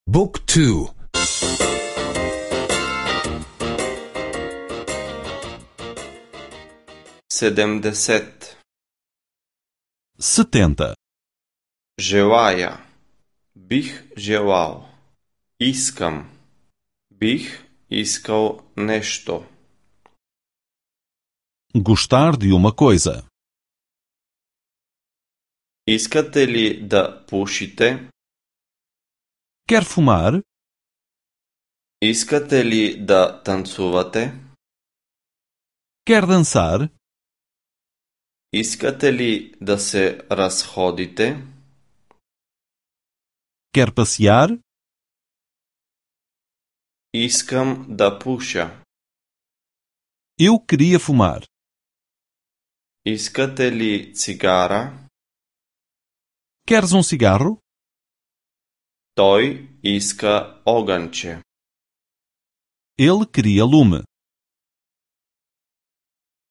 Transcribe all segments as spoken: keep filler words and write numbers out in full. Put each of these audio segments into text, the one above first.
Book two. седемдесет. setenta, Желая. Бих желал. Искам. Бих искал нешто. gostar de uma coisa, Искате ли да пушите? quer fumar, Искате ли да танцувате? quer dançar, Искате ли да се разходите? quer passear, Искам да пуша. eu queria fumar, Искате ли цигара? queres um cigarro, Той иска оганче. ele queria lume,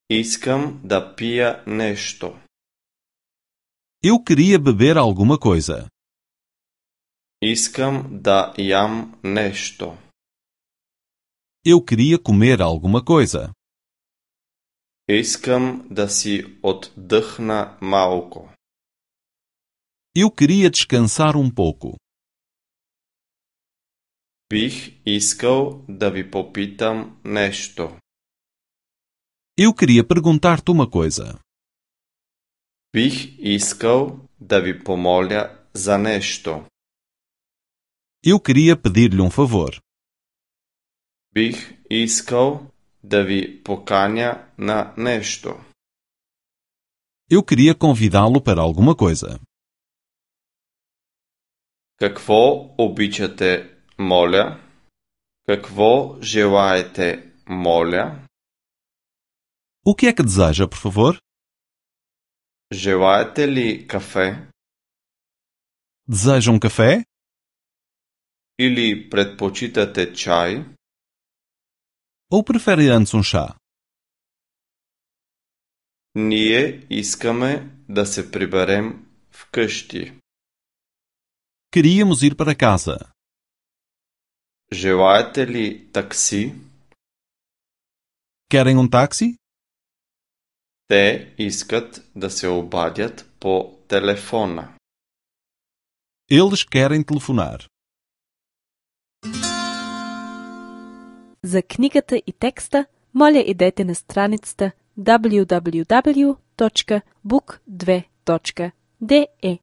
Искам да пия нешто. eu queria beber alguma coisa, Искам да ям нешто. eu queria comer alguma coisa, Искам да си отдъхна малко. eu queria descansar um pouco, Бих искал да ви попитам нешто. eu queria perguntar-te uma coisa, Бих искал да ви помоля за нешто. eu queria pedir-lhe um favor, Бих искал да ви поканя на нешто. eu queria convidá-lo para alguma coisa, Какво обичате, моля? Какво желаете, моля? o que é que deseja, por favor? Желаете ли кафе? Deseja um café? Или предпочитате чай? Ou prefere antes um chá? Ние искаме да се приберем вкъщи. Queríamos ir para casa. Желаете ли такси? Querem um táxi? Те искат да се обадят по телефона. Eles querem telefonar. За книгата и текста, моля идете на страницата дабљу дабљу дабљу точка бук две точка де е.